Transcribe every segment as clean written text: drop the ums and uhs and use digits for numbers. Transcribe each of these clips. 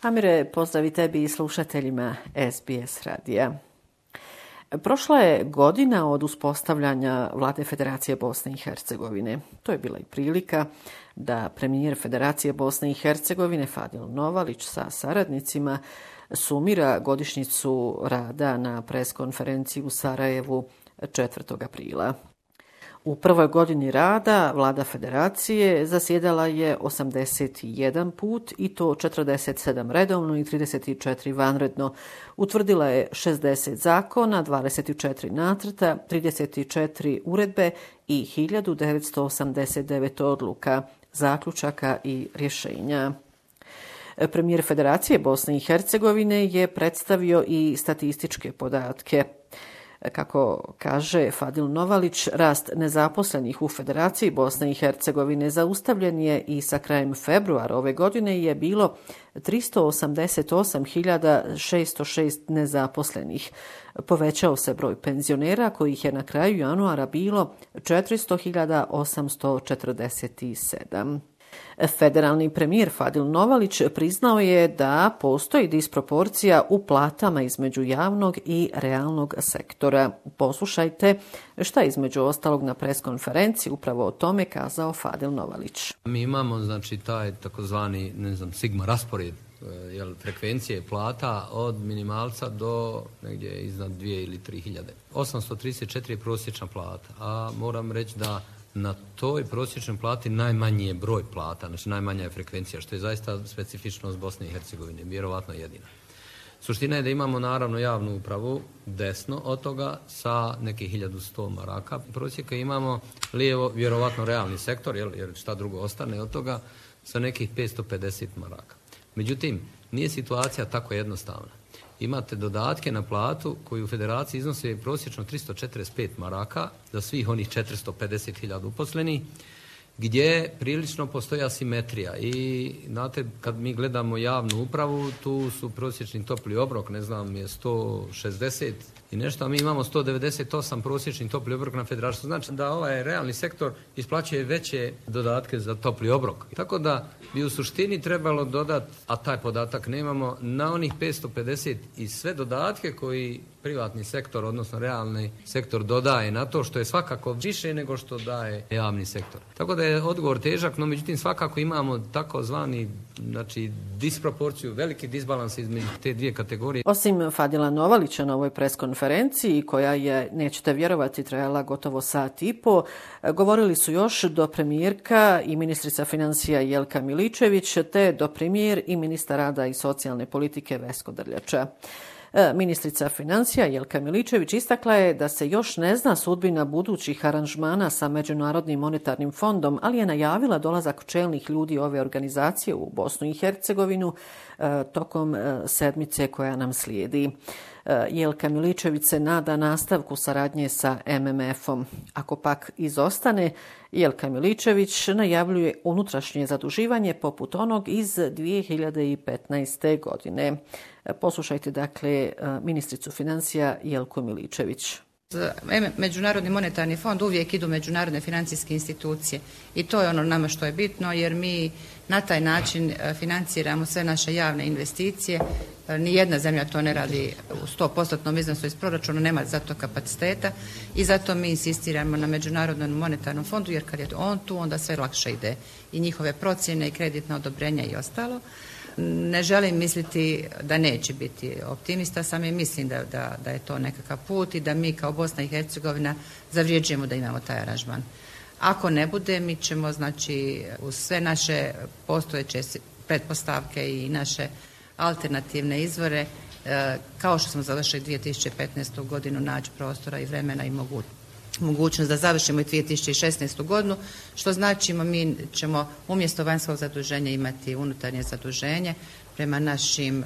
Amire, pozdrav i tebi i slušateljima SBS radija. Prošla je godina od uspostavljanja Vlade Federacije Bosne i Hercegovine. To je bila i prilika da premijer Federacije Bosne i Hercegovine Fadil Novalić sa saradnicima sumira godišnjicu rada na preskonferenciji u Sarajevu 4. aprila. U prvoj godini rada Vlada Federacije zasjedala je 81 put i to 47 redovno i 34 vanredno. Utvrdila je 60 zakona, 24 nacrta, 34 uredbe i 1989 odluka, zaključaka i rješenja. Premijer Federacije Bosne i Hercegovine je predstavio i statističke podatke. Kako kaže Fadil Novalić, rast nezaposlenih u Federaciji Bosne i Hercegovine zaustavljen je i sa krajem februara ove godine je bilo 388.606 nezaposlenih. Povećao se broj penzionera kojih je na kraju januara bilo 400.847. Federalni premijer Fadil Novalić priznao je da postoji disproporcija u platama između javnog i realnog sektora. Poslušajte šta između ostalog na preskonferenciji upravo o tome kazao Fadil Novalić. Mi imamo taj takozvani sigma raspored frekvencije plata od minimalca do negdje iznad 2 ili 3 hiljade. 834 je prosječna plata, a moram reći da na toj prosječnoj plati najmanji je broj plata, znači najmanja je frekvencija, što je zaista specifičnost Bosne i Hercegovine, vjerovatno jedina. Suština je da imamo naravno javnu upravu desno od toga sa nekih 1100 maraka prosjeka, imamo lijevo vjerovatno realni sektor, jer šta drugo ostane od toga, sa nekih 550 maraka. Međutim, nije situacija tako jednostavna. Imate dodatke na platu koji u federaciji iznose prosječno 345 maraka za svih onih 450.000 uposlenih, gdje prilično postoji asimetrija. I znate, kad mi gledamo javnu upravu, tu su prosječni topli obrok, je 160 i nešto, a mi imamo 198 prosječni topli obrok na federaciju. Znači da ovaj realni sektor isplaćuje veće dodatke za topli obrok. Tako da bi u suštini trebalo dodati, a taj podatak nemamo, na onih 550 i sve dodatke koji privatni sektor, odnosno realni sektor dodaje na to, što je svakako više nego što daje javni sektor. Tako da je odgovor težak, no međutim svakako imamo takozvani disproporciju, veliki disbalans između te dvije kategorije. Osim Fadila Novalića na ovoj preskonferenciji, koja je, nećete vjerovati, trajala gotovo sat i po, govorili su još dopremjerka i ministrica financija Jelka Miličević, te dopremjer i ministar rada i socijalne politike Vesko Drljača. Ministrica financija Jelka Miličević istakla je da se još ne zna sudbina budućih aranžmana sa Međunarodnim monetarnim fondom, ali je najavila dolazak čelnih ljudi ove organizacije u Bosnu i Hercegovinu tokom sedmice koja nam slijedi. Jelka Miličević se nada nastavku saradnje sa MMF-om. Ako pak izostane, Jelka Miličević najavljuje unutrašnje zaduživanje poput onog iz 2015. godine. Poslušajte dakle ministricu financija Jelku Miličević. Međunarodni monetarni fond uvijek idu međunarodne financijske institucije i to je ono nama što je bitno, jer mi na taj način financiramo sve naše javne investicije. Nijedna zemlja to ne radi u 100% iznosu iz proračuna, nema za to kapaciteta i zato mi insistiramo na Međunarodnom monetarnom fondu, jer kad je on tu onda sve lakše ide i njihove procjene i kreditna odobrenja i ostalo. Ne želim misliti da neće biti optimista, samo mislim da je to nekakav put i da mi kao Bosna i Hercegovina zavređujemo da imamo taj aranžman. Ako ne bude, mi ćemo uz sve naše postojeće pretpostavke i naše alternativne izvore, kao što smo završili 2015. godinu, naći prostora i vremena i mogućnost da završimo i 2016. godinu, što znači mi ćemo umjesto vanjskog zaduženja imati unutarnje zaduženje prema našem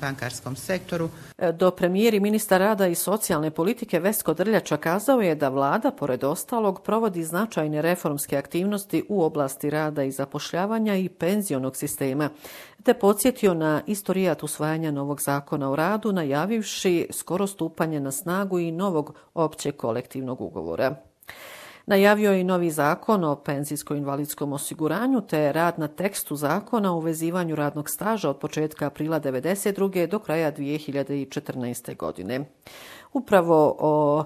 bankarskom sektoru. Dopremjer i ministar rada i socijalne politike Vesko Drljača kazao je da vlada, pored ostalog, provodi značajne reformske aktivnosti u oblasti rada i zapošljavanja i penzionog sistema, te podsjetio na istorijat usvajanja novog zakona o radu, najavivši skoro stupanje na snagu i novog općeg kolektivnog ugovora. Najavio je i novi zakon o penzijsko-invalidskom osiguranju te rad na tekstu zakona o uvezivanju radnog staža od početka aprila 1992. do kraja 2014. godine. Upravo o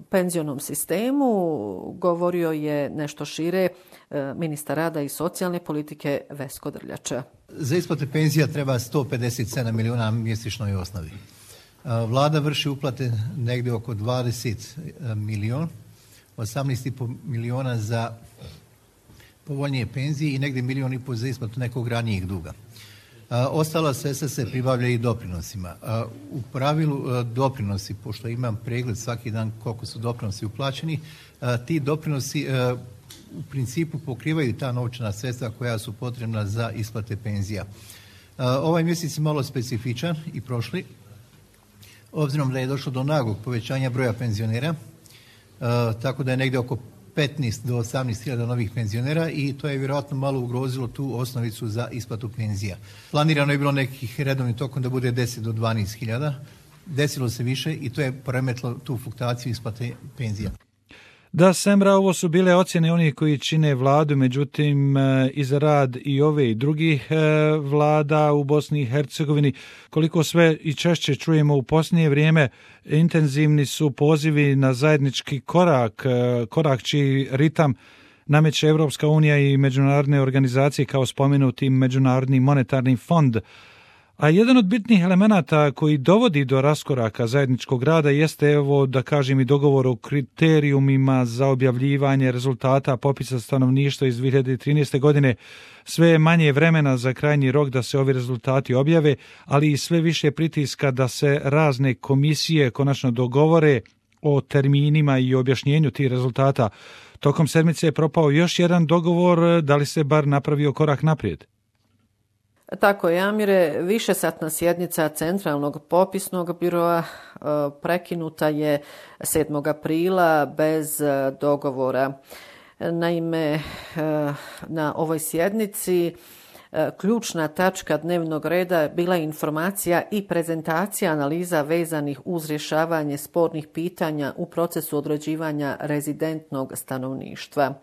penzionom sistemu govorio je nešto šire ministar rada i socijalne politike Vesko Drljača. Za isplate penzija treba 157 milijuna mjesečnoj osnovi. Vlada vrši uplate negdje oko 20 milijuna, 18,5 milijuna za povoljnije penzije i negdje 1,5 milijuna za isplatu nekog ranijeg duga. Ostala sredstva se pribavlja i doprinosima. U pravilu doprinosi, pošto imam pregled svaki dan koliko su doprinosi uplaćeni, ti doprinosi u principu pokrivaju ta novčana sredstva koja su potrebna za isplate penzija. Ovaj mjesec je malo specifičan i prošli, obzirom da je došlo do naglog povećanja broja penzionera, tako da je negdje oko 15 do 18 hiljada novih penzionera i to je vjerojatno malo ugrozilo tu osnovicu za isplatu penzija. Planirano je bilo nekih redovnih tokom da bude 10 do 12 hiljada, desilo se više i to je poremetilo tu fluktaciju isplate penzija. Da, Semra, ovo su bile ocjene onih koji čine vladu, međutim i za rad i ove i drugih vlada u Bosni i Hercegovini, koliko sve i češće čujemo u posljednje vrijeme, intenzivni su pozivi na zajednički korak čiji ritam nameće Evropska unija i međunarodne organizacije kao spomenuti Međunarodni monetarni fond. A jedan od bitnih elemenata koji dovodi do raskoraka zajedničkog rada jeste, evo da kažem, i dogovor o kriterijumima za objavljivanje rezultata popisa stanovništva iz 2013. godine. Sve je manje vremena za krajnji rok da se ovi rezultati objave, ali i sve više pritiska da se razne komisije konačno dogovore o terminima i objašnjenju tih rezultata. Tokom sedmice je propao još jedan dogovor, da li se bar napravio korak naprijed? Tako je, Amire, višesatna sjednica Centralnog popisnog biroa prekinuta je 7. aprila bez dogovora. Naime, na ovoj sjednici ključna tačka dnevnog reda bila je informacija i prezentacija analiza vezanih uz rješavanje spornih pitanja u procesu određivanja rezidentnog stanovništva.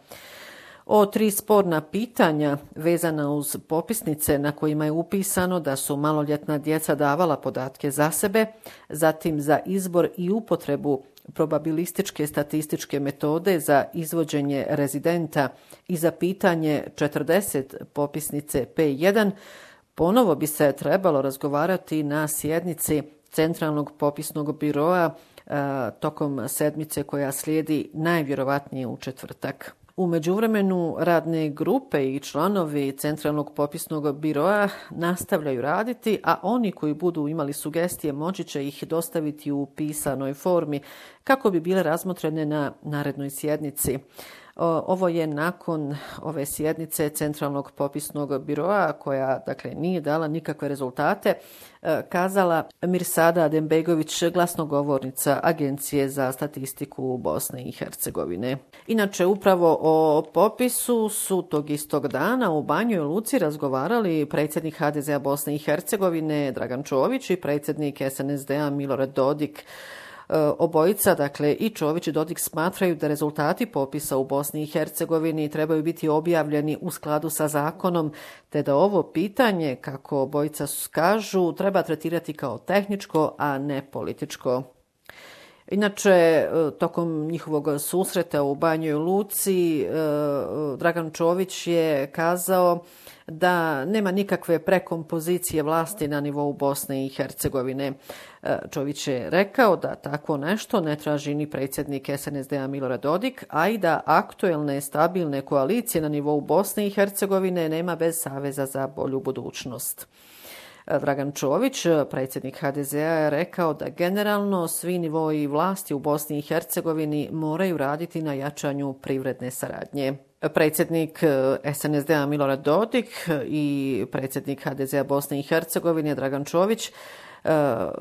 O 3 sporna pitanja vezana uz popisnice na kojima je upisano da su maloljetna djeca davala podatke za sebe, zatim za izbor i upotrebu probabilističke statističke metode za izvođenje rezidenta i za pitanje 40 popisnice P1, ponovo bi se trebalo razgovarati na sjednici Centralnog popisnog biroa tokom sedmice koja slijedi najvjerovatnije u četvrtak. U međuvremenu radne grupe i članovi Centralnog popisnog biroa nastavljaju raditi, a oni koji budu imali sugestije moći će ih dostaviti u pisanoj formi kako bi bile razmotrene na narednoj sjednici. Ovo je nakon ove sjednice Centralnog popisnog biroa, koja nije dala nikakve rezultate, kazala Mirsada Adembegović, glasnogovornica Agencije za statistiku Bosne i Hercegovine. Inače, upravo o popisu su tog istog dana u Banjoj Luci razgovarali predsjednik HDZ-a Bosne i Hercegovine Dragan Čović i predsjednik SNSD-a Milorad Dodik. Obojica, i Čović i Dodik, smatraju da rezultati popisa u Bosni i Hercegovini trebaju biti objavljeni u skladu sa zakonom, te da ovo pitanje, kako obojica kažu, treba tretirati kao tehničko, a ne političko. Inače, tokom njihovog susreta u Banjoj Luci, Dragan Čović je kazao da nema nikakve prekompozicije vlasti na nivou Bosne i Hercegovine. Čović je rekao da takvo nešto ne traži ni predsjednik SNSD-a Milorad Dodik, a i da aktuelne stabilne koalicije na nivou Bosne i Hercegovine nema bez Saveza za bolju budućnost. Dragan Čović, predsjednik HDZ-a, je rekao da generalno svi nivoi vlasti u Bosni i Hercegovini moraju raditi na jačanju privredne saradnje. Predsjednik SNSD-a Milorad Dodik i predsjednik HDZ-a Bosne i Hercegovine Dragan Čović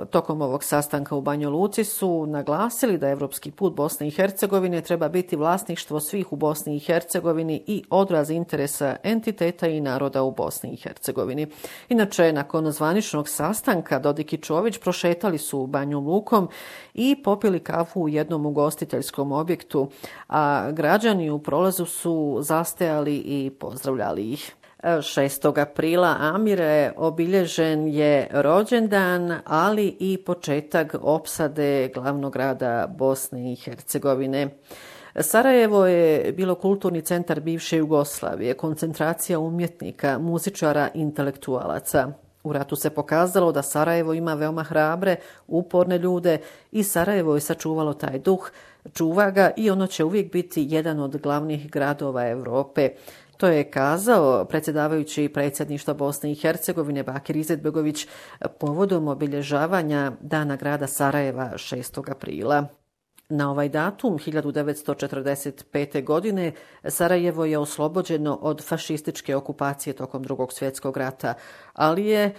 Tokom ovog sastanka u Banja Luci su naglasili da evropski put Bosne i Hercegovine treba biti vlasništvo svih u Bosni i Hercegovini i odraz interesa entiteta i naroda u Bosni i Hercegovini. Inače, nakon zvaničnog sastanka Dodik i Čović prošetali su Banjom Lukom i popili kafu u jednom ugostiteljskom objektu, a građani u prolazu su zastajali i pozdravljali ih. 6. aprila Amire obilježen je rođendan, ali i početak opsade glavnog grada Bosne i Hercegovine. Sarajevo je bilo kulturni centar bivše Jugoslavije, koncentracija umjetnika, muzičara, intelektualaca. U ratu se pokazalo da Sarajevo ima veoma hrabre, uporne ljude i Sarajevo je sačuvalo taj duh, čuva ga i ono će uvijek biti jedan od glavnih gradova Europe. To je kazao predsjedavajući predsjedništva Bosne i Hercegovine Bakir Izetbegović povodom obilježavanja Dana grada Sarajeva 6. aprila. Na ovaj datum 1945. godine Sarajevo je oslobođeno od fašističke okupacije tokom Drugog svjetskog rata, ali je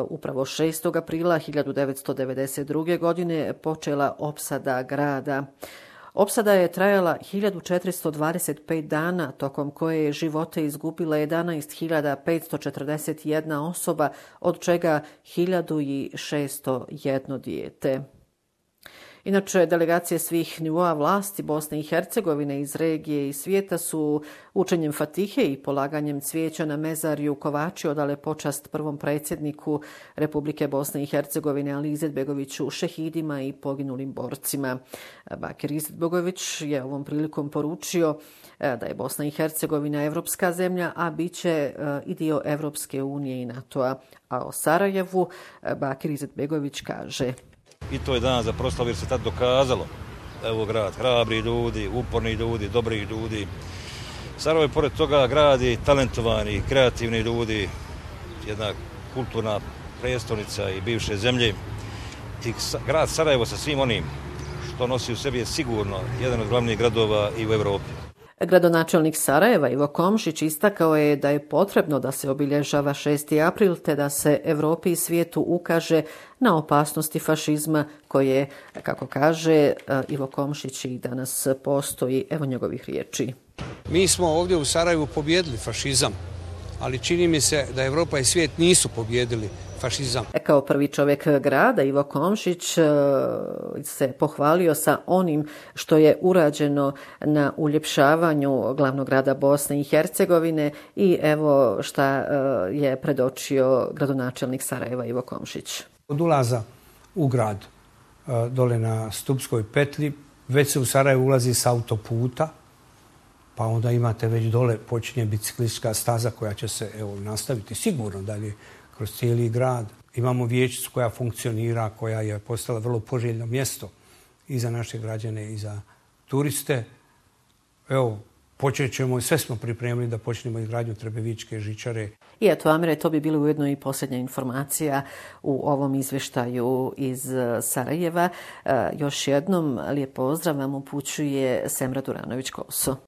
upravo 6. aprila 1992. godine počela opsada grada. Opsada je trajala 1425 dana, tokom koje je živote izgubila 11.541 osoba, od čega 1601 dijete. Inače, delegacije svih nivoa vlasti Bosne i Hercegovine iz regije i svijeta su učenjem Fatihe i polaganjem cvijeća na mezarju Kovači odale počast prvom predsjedniku Republike Bosne i Hercegovine Ali Izetbegoviću, šehidima i poginulim borcima. Bakir Izetbegović je ovom prilikom poručio da je Bosna i Hercegovina evropska zemlja, a bit će i dio Evropske unije i NATO-a. A o Sarajevu Bakir Izetbegović kaže: I to je dan za proslavu jer se tad dokazalo da je ovo grad hrabri ljudi, uporni ljudi, dobrih ljudi. Sarajevo je pored toga gradi talentovani, kreativni ljudi, jedna kulturna prijestolnica i bivše zemlje. I grad Sarajevo sa svim onim što nosi u sebi je sigurno jedan od glavnih gradova i u Europi. Gradonačelnik Sarajeva Ivo Komšić istakao je da je potrebno da se obilježava 6. april te da se Europi i svijetu ukaže na opasnosti fašizma koje, kako kaže Ivo Komšić, i danas postoji. Evo njegovih riječi. Mi smo ovdje u Sarajevu pobijedili fašizam, ali čini mi se da Europa i svijet nisu pobijedili fašizam. Kao prvi čovjek grada Ivo Komšić se pohvalio sa onim što je urađeno na uljepšavanju glavnog grada Bosne i Hercegovine i evo šta je predočio gradonačelnik Sarajeva Ivo Komšić. Od ulaza u grad dole na Stupskoj petlji već se u Sarajevo ulazi s autoputa, pa onda imate već dole počinje biciklistička staza koja će se nastaviti sigurno dalje kroz cijeli grad. Imamo vijećicu koja funkcionira, koja je postala vrlo poželjno mjesto i za naše građane i za turiste. Evo, počet ćemo, sve smo pripremili da počnemo izgradnju Trebevičke žičare. I eto, Amire, to bi bilo ujedno i posljednja informacija u ovom izvještaju iz Sarajeva. Još jednom lijep pozdrav vam upućuje Semra Duranović-Koso.